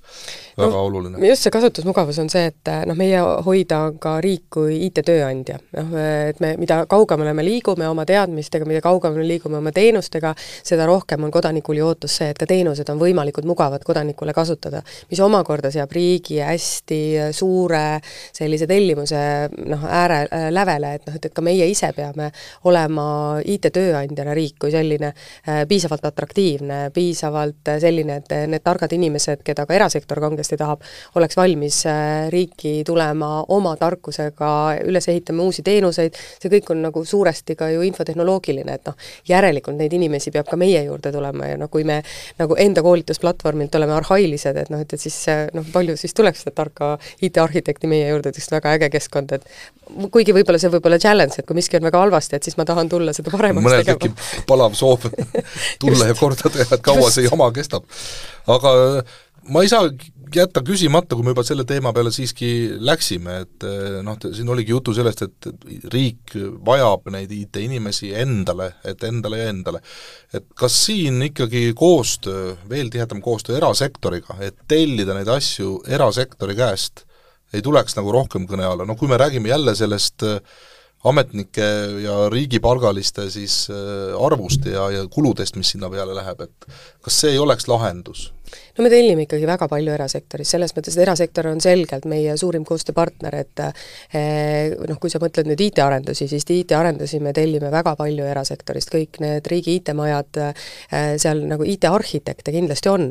väga no, oluline. just see kasutusmugavus on see, et noh, meie hoida on ka riik kui I T-tööandja. noh, et me, mida kaugemale me liigume oma teadmistega, mida kaugemale liigume oma teenustega, seda rohkem on kodanikul ju ootus see, et ka teenused on võimalikult mugavad kodanikule kasutada, mis omakorda seab riigi hästi suure sellise tellimuse noh, ääre äh, lävele, et noh, et, et ka meie ise peame olema I T-tööandjana riik kui selline äh, piisavalt atraktiivne, piisavalt äh, selline, et need targad inimesed, keda ka erasektor kangesti tahab, oleks valmis äh, riiki tulema oma tarkusega, üles ehitama uusi teenuseid, see kõik on nagu suuresti ka ju infotehnoloogiline, et noh, järelikult neid inimesi peab ka meie juurde tulema ja noh, kui me nagu enda koolitusplatvormilt oleme arhailised, et noh, et, et siis noh, palju siis tuleks seda tarka I T-arhitekti meie juurde, et väga äge keskkond, et kuigi võib-olla see võib olla challenge, et kui miski on väga halvasti, et siis ma tahan tulla seda paremaks mõnel tegema. tekib palav soov tulla ja korda teha, et kaua see jama kestab. Aga ma ei saa jätta küsimata, kui me juba selle teema peale siiski läksime, et noh, siin oligi jutu sellest, et riik vajab neid I T-inimesi endale, et endale ja endale. Et kas siin ikkagi koostöö, veel tihedam koostöö erasektoriga, et tellida neid asju erasektori käest, ei tuleks nagu rohkem kõne alla. No kui me räägime jälle sellest ametnike ja riigipalgaliste siis arvust ja, ja kuludest, mis sinna peale läheb, et kas see ei oleks lahendus? No me tellime ikkagi väga palju erasektoris, selles mõttes, et erasektor on selgelt meie suurim koostööpartner, et eh, noh, kui sa mõtled nüüd I T-arendusi, siis I T-arendusi me tellime väga palju erasektorist, kõik need riigi I T-majad, eh, seal nagu I T-arhitekte kindlasti on,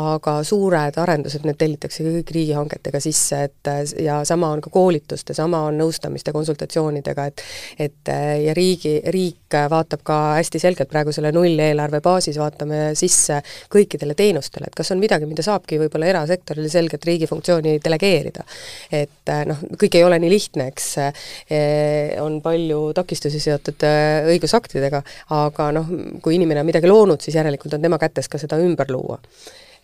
aga suured arendused, need tellitakse kõik riigihangetega sisse, et ja sama on ka koolituste, sama on nõustamiste, konsultatsioonidega, et et ja riigi, riik vaatab ka hästi selgelt praegu selle nulleelarve baasis, vaatame sisse kõikidele teenustele, et kas on midagi, mida saabki võib-olla erasektorile selgelt riigi funktsiooni delegeerida. Et noh, kõik ei ole nii lihtne, eks on palju takistusi seotud õigusaktidega, aga noh, kui inimene on midagi loonud, siis järelikult on tema kätes ka seda ümber luua.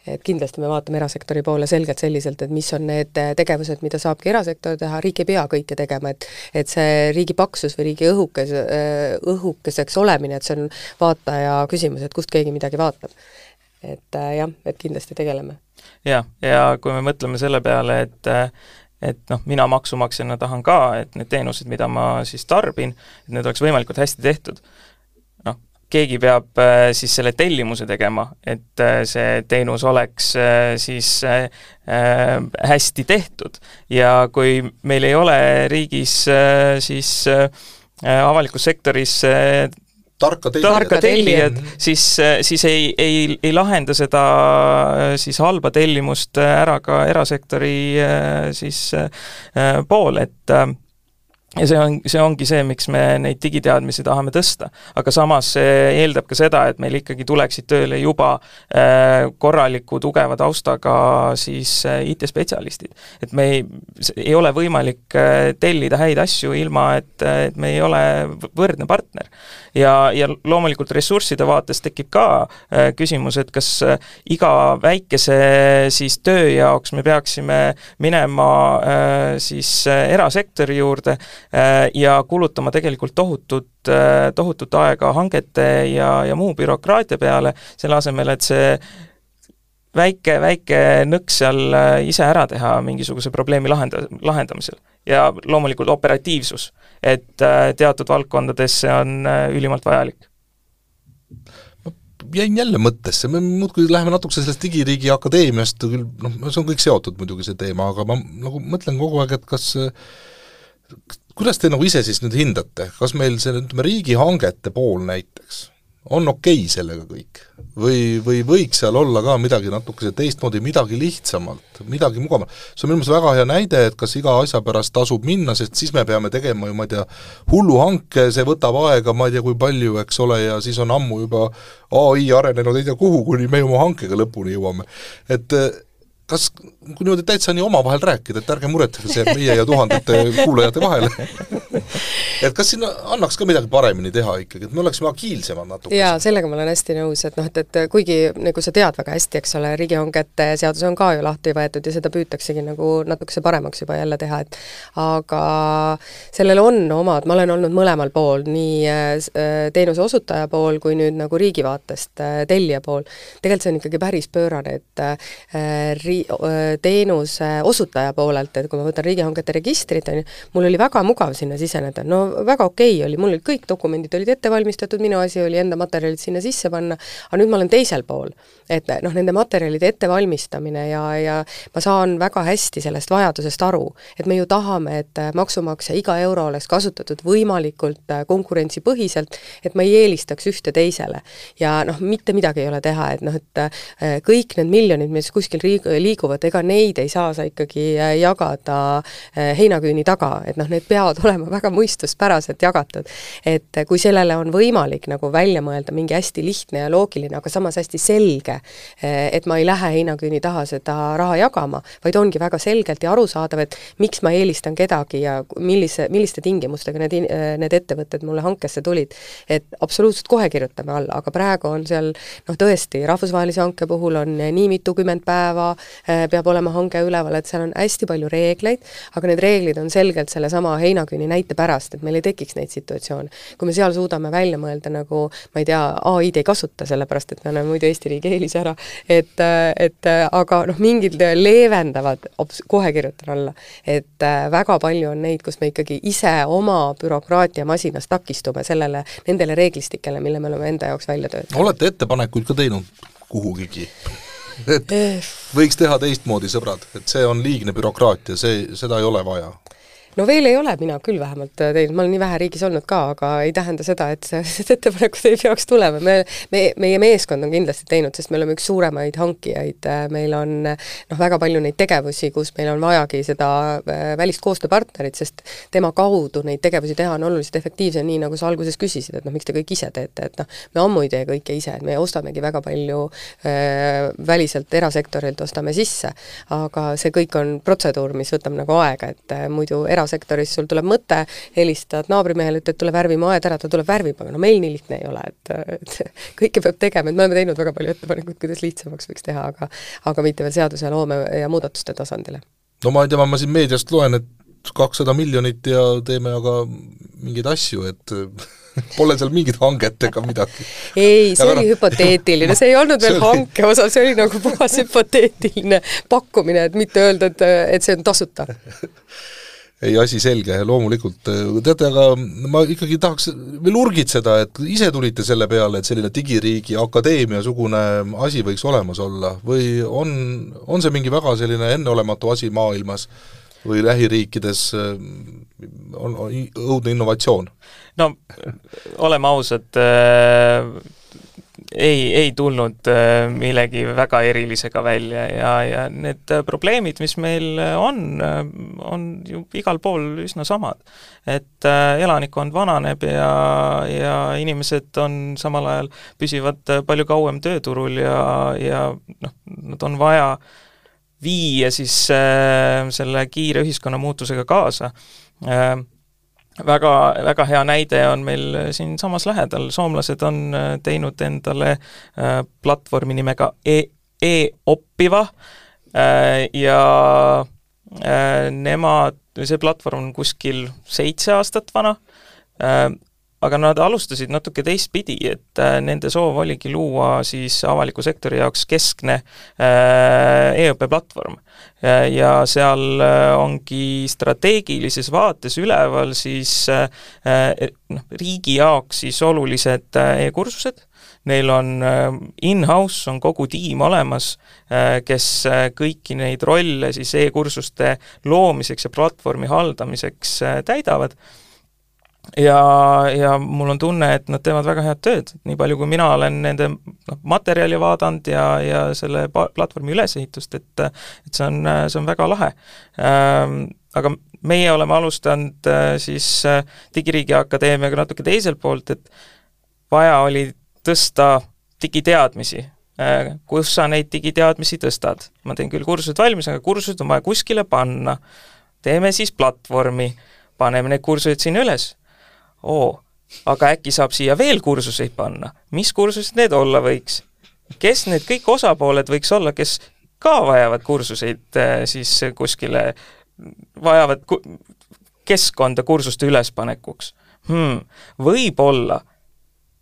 Et kindlasti me vaatame erasektori poole selgelt selliselt, et mis on need tegevused, mida saabki erasektor teha, riik ei pea kõike tegema, et et see riigi paksus või riigi õhukes, õhukeseks olemine, et see on vaataja küsimus, et kust keegi midagi vaatab. Et jah, et kindlasti tegeleme. Ja, ja kui me mõtleme selle peale, et et noh, mina maksumaksjana tahan ka, et need teenused, mida ma siis tarbin, et need oleks võimalikult hästi tehtud. Noh, keegi peab siis selle tellimuse tegema, et see teenus oleks siis hästi tehtud. Ja kui meil ei ole riigis siis avalikus sektoris tarka tellijad, tarka tellijad siis, siis ei, ei, ei lahenda seda siis halba tellimust ära ka erasektori siis pool, et ja see, on, see ongi see, miks me neid digiteadmisi tahame tõsta. Aga samas see eeldab ka seda, et meil ikkagi tuleksid tööle juba korraliku tugeva taustaga siis I T-spetsialistid. Et me ei, ei ole võimalik tellida häid asju ilma, et, et me ei ole võrdne partner. Ja, ja loomulikult ressursside vaates tekib ka küsimus, et kas iga väikese siis töö jaoks me peaksime minema siis erasektori juurde ja kulutama tegelikult tohutut, tohutut aega hangete ja, ja muu bürokraatia peale, selle asemel, et see väike, väike nõks seal ise ära teha mingisuguse probleemi lahenda, lahendamisel. Ja loomulikult operatiivsus, et teatud valdkondades see on ülimalt vajalik. Ma jäin jälle mõttesse, me muudkui läheme natukese sellest digiriigi akadeemiast, küll, noh, see on kõik seotud muidugi see teema, aga ma nagu mõtlen kogu aeg, et kas kuidas te nagu ise siis nüüd hindate, kas meil see ütleme, riigihangete pool näiteks on okei sellega kõik? Või, või võiks seal olla ka midagi natukese teistmoodi, midagi lihtsamalt, midagi mugavamalt? See on minu meelest väga hea näide, et kas iga asja pärast tasub minna, sest siis me peame tegema ju, ma ei tea, hullu hanke, see võtab aega, ma ei tea, kui palju, eks ole, ja siis on ammu juba A I arenenud, ei tea kuhu, kuni me oma hankega lõpuni jõuame. Et kas, kui niimoodi täitsa nii oma vahel rääkida, et ärge muretage see meie ja tuhandete kuulajate vahele? et kas sinna annaks ka midagi paremini teha ikkagi, et me oleksime agiilsemad natuke? Jaa, sellega ma olen hästi nõus, et noh, et, et kuigi nagu sa tead väga hästi, eks ole, riigihangete seadus on ka ju lahti võetud ja seda püütaksegi nagu natukese paremaks juba jälle teha, et aga sellel on omad, ma olen olnud mõlemal pool, nii teenuse osutaja pool kui nüüd nagu riigi vaatest tellija pool. Tegelikult see on ikkagi päris pöörane, et ri, teenuse osutaja poolelt, et kui ma võtan riigihangete registrit, mul oli väga mugav sinna siseneda, no väga okei okay oli, mul olid kõik dokumendid olid ette valmistatud, minu asi oli enda materjalid sinna sisse panna, aga nüüd ma olen teisel pool, et noh, nende materjalide ettevalmistamine ja, ja ma saan väga hästi sellest vajadusest aru, et me ju tahame, et maksumaksja iga euro oleks kasutatud võimalikult konkurentsipõhiselt, et ma ei eelistaks ühte teisele. Ja noh, mitte midagi ei ole teha, et noh, et kõik need miljonid, mis kuskil liiguvad, ega neid ei saa sa ikkagi jagada heinaküüni taga, et noh, need peavad olema väga mõistuspäraselt jagatud, et kui sellele on võimalik nagu välja mõelda mingi hästi lihtne ja loogiline, aga samas hästi selge, et ma ei lähe heinaküüni taha seda raha jagama, vaid ongi väga selgelt ja arusaadav, et miks ma eelistan kedagi ja millise, milliste tingimustega need, need ettevõtted mulle hankesse tulid. Et absoluutselt kohe kirjutame alla, aga praegu on seal noh tõesti, rahvusvahelise hanke puhul on nii mitukümmend päeva, peab olema hanke üleval, et seal on hästi palju reegleid, aga need reeglid on selgelt selle sama heinaküüni näite pärast, et meil ei tekiks neid situatsioone. Kui me seal suudame välja mõelda nagu, ma ei tea, A I-d ei kasuta sellepärast, et me oleme muidu Eesti riigi eelis ära, et, et aga noh, mingid leevendavad, kohe kirjutan alla, et väga palju on neid, kus me ikkagi ise oma bürokraatia masinas takistume sellele, nendele reeglistikele, mille me oleme enda jaoks välja töötanud. Olete ettepanekuid ka teinud kuhugigi? Et võiks teha teistmoodi, sõbrad, et see on liigne bürokraatia, see, seda ei ole vaja. No veel ei ole mina küll vähemalt teinud, ma olen nii vähe riigis olnud ka, aga ei tähenda seda, et see ettepanekud ei peaks tulema. Me, me, meie meeskond on kindlasti teinud, sest me oleme üks suuremaid hankijaid, meil on noh, väga palju neid tegevusi, kus meil on vajagi seda välist koostööpartnerit, sest tema kaudu neid tegevusi teha on oluliselt efektiivsem, nii nagu sa alguses küsisid, et noh, miks te kõik ise teete, et noh, me ammu ei tee kõike ise, et me ostamegi väga palju äh, väliselt erasektorilt ostame sisse, aga see kõik on protseduur, mis võtab nagu aega, et äh, muidu erasektoris sul tuleb mõte, helistad naabrimehele, et tuleb värvima aed ära, ta tuleb värvima, aga no meil nii lihtne ei ole, et, et kõike peab tegema, et me oleme teinud väga palju ettepanekuid, kuidas lihtsamaks võiks teha, aga, aga mitte veel seaduse ja loome ja muudatuste tasandile. No ma ei tea, ma siin meediast loen, et kakssada miljonit ja teeme aga mingeid asju, et pole seal mingit hanget ega midagi. Ei, see aga oli no... hüpoteetiline, see ei olnud veel oli... hanke osa, see oli nagu puhas hüpoteetiline pakkumine, et mitte öelda, et, et see on tasuta. Ei, asi selge, loomulikult. Teate, aga ma ikkagi tahaks veel urgitseda, et ise tulite selle peale, et selline digiriigi akadeemia sugune asi võiks olemas olla, või on, on see mingi väga selline enneolematu asi maailmas või lähiriikides on, on õudne innovatsioon? No, oleme ausad, äh... ei, ei tulnud millegi väga erilisega välja ja, ja need probleemid, mis meil on, on ju igal pool üsna samad. Et elanikkond vananeb ja, ja inimesed on samal ajal püsivad palju kauem tööturul ja, ja noh, nad on vaja viia siis selle kiire ühiskonna muutusega kaasa. Väga, väga hea näide on meil siin samas lähedal. Soomlased on teinud endale platvormi nimega e-oppiva ja nemad, see platvorm on kuskil seitse aastat vana, aga nad alustasid natuke teistpidi, et nende soov oligi luua siis avaliku sektori jaoks keskne e-õppe platvorm. Ja seal ongi strateegilises vaates üleval siis noh, riigi jaoks siis olulised e-kursused. Neil on in-house, on kogu tiim olemas, kes kõiki neid rolle siis e-kursuste loomiseks ja platvormi haldamiseks täidavad. Ja, ja mul on tunne, et nad teevad väga head tööd. Nii palju, kui mina olen nende no, materjali vaadanud ja, ja selle platvormi ülesehitust, et, et see, on, see on väga lahe. Ähm, aga meie oleme alustanud siis Digiriigi Akadeemiaga natuke teiselt poolt, et vaja oli tõsta digiteadmisi. Äh, kus sa neid digiteadmisi tõstad? Ma teen küll kursused valmis, aga kursused on vaja kuskile panna. Teeme siis platvormi. paneme need kursused siin üles. Oo, aga äkki saab siia veel kursuseid panna. Mis kursused need olla võiks? Kes need kõik osapooled võiks olla, kes ka vajavad kursuseid siis kuskile, vajavad keskkonda kursuste ülespanekuks? Hmm. Võib-olla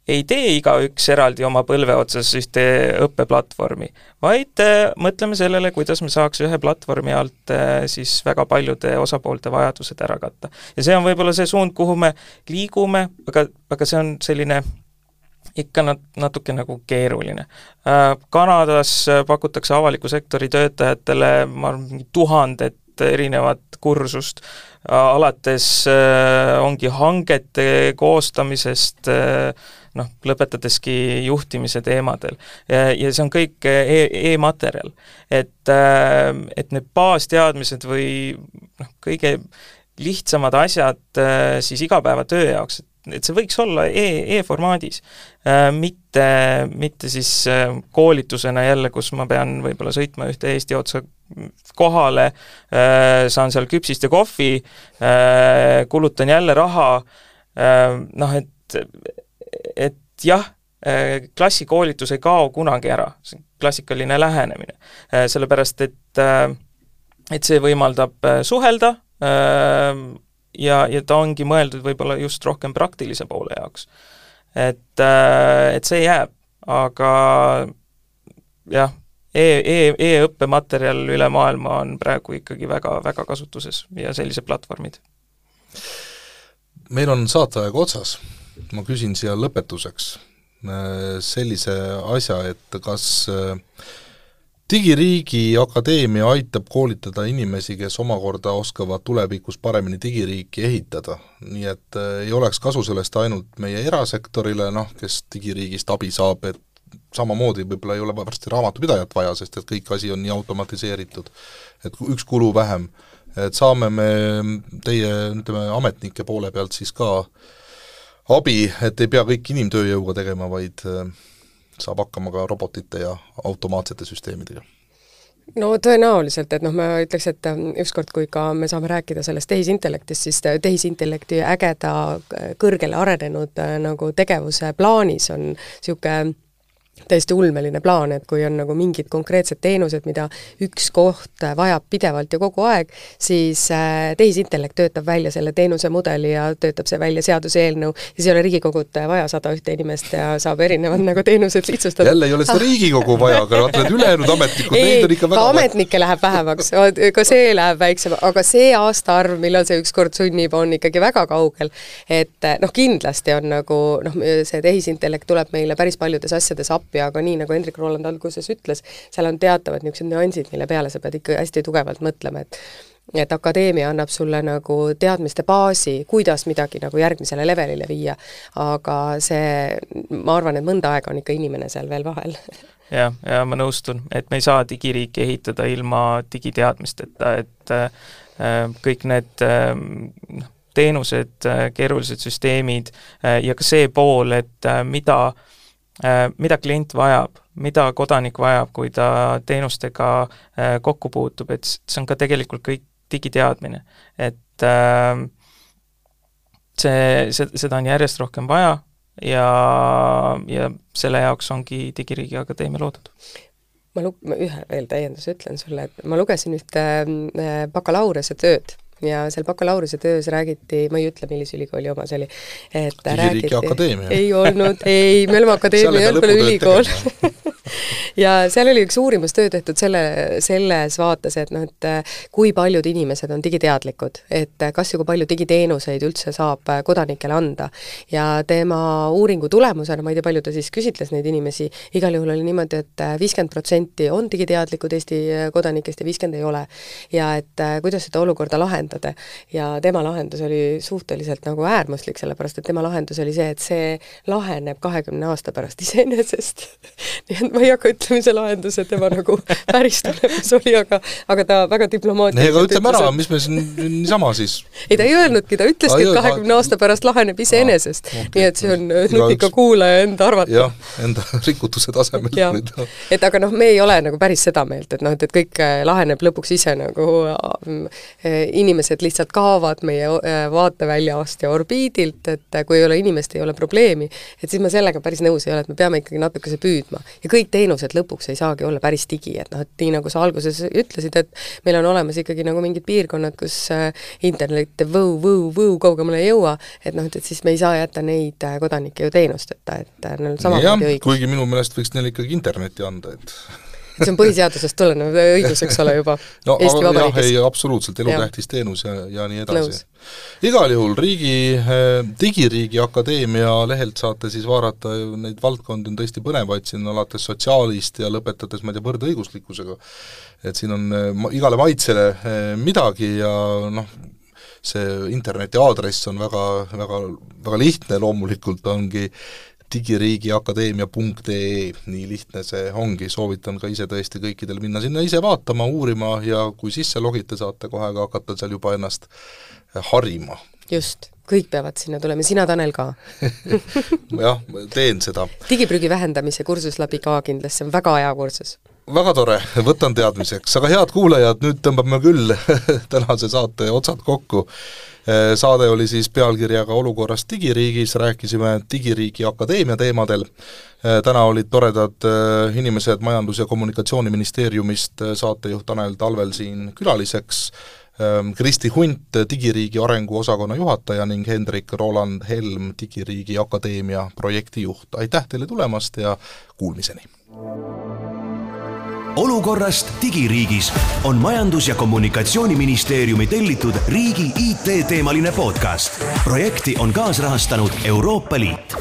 ei tee igaüks eraldi oma põlve otsas ühte õppeplatvormi, vaid äh, mõtleme sellele, kuidas me saaks ühe platvormi alt äh, siis väga paljude osapoolte vajadused ära katta. Ja see on võib-olla see suund, kuhu me liigume, aga, aga see on selline ikka nat- natuke nagu keeruline. Äh, Kanadas pakutakse avaliku sektori töötajatele ma arvan, tuhandet erinevat kursust, alates äh, ongi hangete koostamisest äh, noh, lõpetadeski juhtimise teemadel. Ja, ja see on kõik e- e-materjal. Et, äh, et need baasteadmised või noh, kõige lihtsamad asjad äh, siis igapäevatöö jaoks, et see võiks olla e- e-formaadis, äh, mitte, mitte siis äh, koolitusena jälle, kus ma pean võib-olla sõitma ühte Eesti otsa kohale, äh, saan seal küpsist ja kohvi, äh, kulutan jälle raha, äh, noh, et, et jah, äh, klassikoolitus ei kao kunagi ära, see on klassikaline lähenemine, äh, sellepärast et, äh, et see võimaldab äh, suhelda, äh, ja, ja ta ongi mõeldud võib-olla just rohkem praktilise poole jaoks. Et, et see jääb, aga jah, e- e- e-õppematerjal üle maailma on praegu ikkagi väga, väga kasutuses ja sellised platvormid. Meil on saateaeg otsas. Ma küsin siia lõpetuseks sellise asja, et kas Digiriigi Akadeemia aitab koolitada inimesi, kes omakorda oskavad tulevikus paremini digiriiki ehitada, nii et ei oleks kasu sellest ainult meie erasektorile, noh, kes digiriigist abi saab, et samamoodi võib-olla ei ole varsti raamatupidajat vaja, sest et kõik asi on nii automatiseeritud, et üks kulu vähem, et saame me teie ütleme, ametnike poole pealt siis ka abi, et ei pea kõik inimtööjõuga tegema, vaid saab hakkama ka robotite ja automaatsete süsteemidega? No tõenäoliselt, et noh, ma ütleks, et ükskord, kui ka me saame rääkida sellest tehisintellektist, siis tehisintellekti ägeda kõrgele arenenud nagu tegevuse plaanis on niisugune täiesti ulmeline plaan, et kui on nagu mingid konkreetsed teenused, mida üks koht vajab pidevalt ja kogu aeg, siis tehisintellekt töötab välja selle teenuse mudeli ja töötab see välja seaduse eelnõu, siis ei ole Riigikogut vaja sada ühte inimest ja saab erinevad nagu teenused lihtsustada. Jälle ei ole seda Riigikogu vaja, aga vaatad ülejäänud ametnikud, neid on ikka väga ametnikke läheb vähemaks, ka see läheb väiksem, aga see aastaarv, millal see ükskord sunnib, on ikkagi väga kaugel, et noh, kindlasti on nagu noh, see tehisintellekt tuleb meile päris paljudes asjades appi, aga nii, nagu Hendrik Roland alguses ütles, seal on teatavad niisugused nüansid, mille peale sa pead ikka hästi tugevalt mõtlema, et et akadeemia annab sulle nagu teadmiste baasi, kuidas midagi nagu järgmisele levelile viia, aga see, ma arvan, et mõnda aega on ikka inimene seal veel vahel. Ja, ja ma nõustun, et me ei saa digiriiki ehitada ilma digiteadmisteta, et äh, kõik need äh, teenused, äh, keerulised süsteemid äh, ja ka see pool, et äh, mida mida klient vajab, mida kodanik vajab, kui ta teenustega kokku puutub, et see on ka tegelikult kõik digiteadmine. Et see, see, seda on järjest rohkem vaja ja, ja selle jaoks ongi Digiriigi Akadeemia loodud. Ma, lu- ma ühe veel täienduse ütlen sulle, et ma lugesin ühte bakalaureuse tööd, ja seal bakalaureuse töös räägiti, ma ei ütle, millise ülikooli oma see oli, et Digiriigi Akadeemia. Ei olnud, ei, me oleme akadeemia, ei olnud ülikool. ja seal oli üks uurimustöö tehtud selle, selles vaates, et noh, et kui paljud inimesed on digiteadlikud, et kas ja kui palju digiteenuseid üldse saab kodanikele anda. Ja tema uuringu tulemusena, ma ei tea, palju ta siis küsitles neid inimesi, igal juhul oli niimoodi, et viiskümmend protsenti on digiteadlikud Eesti kodanikest ja viiskümmend ei ole. Ja et kuidas seda olukorda lahendada. Ja tema lahendus oli suhteliselt nagu äärmuslik, sellepärast et tema lahendus oli see, et see laheneb kahekümne aasta pärast iseenesest. Nii et ma ei hakka ütlema see lahendus, et tema nagu päris tulemus oli, aga, aga ta väga diplomaatiliselt ei, aga ütleme ära, mis me siin niisama siis... ei, ta ei öelnudki, ta ütleski, et kahekümne aasta pärast laheneb iseenesest. Okay. Nii et see on nutika kuulaja enda arvata. Jah, enda rikutuse tasemel. Et aga noh, me ei ole nagu päris seda meelt, et noh, et kõik laheneb lõpuks ise nagu inimesed lihtsalt kaovad meie vaateväljast ja orbiidilt, et kui ei ole inimest, ei ole probleemi, et siis ma sellega päris nõus ei ole, et me peame ikkagi natukese püüdma. Ja kõik teenused lõpuks ei saagi olla päris digi, et noh, et nii nagu sa alguses ütlesid, et meil on olemas ikkagi nagu mingid piirkonnad, kus internet võu, võu, võu kaugemale ei jõua, et noh, et siis me ei saa jätta neid kodanikke ju teenusteta, et neil samamoodi õigus. Kuigi minu meelest võiks neil ikkagi internetti anda, et see on põhiseadusest tulenev õigus, eks ole juba no, Eesti Vabariigis. Jah, ei, absoluutselt, elutähtis teenus ja, ja nii edasi. Nõus. Igal juhul riigi, digiriigi akadeemia lehelt saate siis vaadata, neid valdkondi on tõesti põnevaid, siin alates sotsiaalist ja lõpetades, ma ei tea, võrdõiguslikkusega. Et siin on igale maitsele midagi ja noh, see interneti aadress on väga, väga, väga lihtne, loomulikult ongi digiriigiakadeemia punkt ee, nii lihtne see ongi, soovitan ka ise tõesti kõikidel minna sinna ise vaatama, uurima ja kui sisse logite, saate kohe ka hakata seal juba ennast harima. Just, kõik peavad sinna tulema, sina Tanel ka. jah, teen seda. Digiprügi vähendamise kursus läbi ka kindlasti, see on väga hea kursus. Väga tore, võtan teadmiseks, aga head kuulajad, nüüd tõmbame küll tänase saate otsad kokku. Saade oli siis pealkirjaga Olukorrast digiriigis, rääkisime digiriigi akadeemia teemadel. Täna olid toredad inimesed Majandus- ja Kommunikatsiooniministeeriumist, saatejuht Tanel Talvel siin külaliseks, Kristi Hunt, digiriigi arengu osakonna juhataja ning Hendrik Roland Helm, digiriigi akadeemia projektijuht. Aitäh teile tulemast ja kuulmiseni! Olukorrast digiriigis on Majandus- ja Kommunikatsiooniministeeriumi tellitud riigi I T-teemaline podcast. Projekti on kaasrahastanud Euroopa Liit.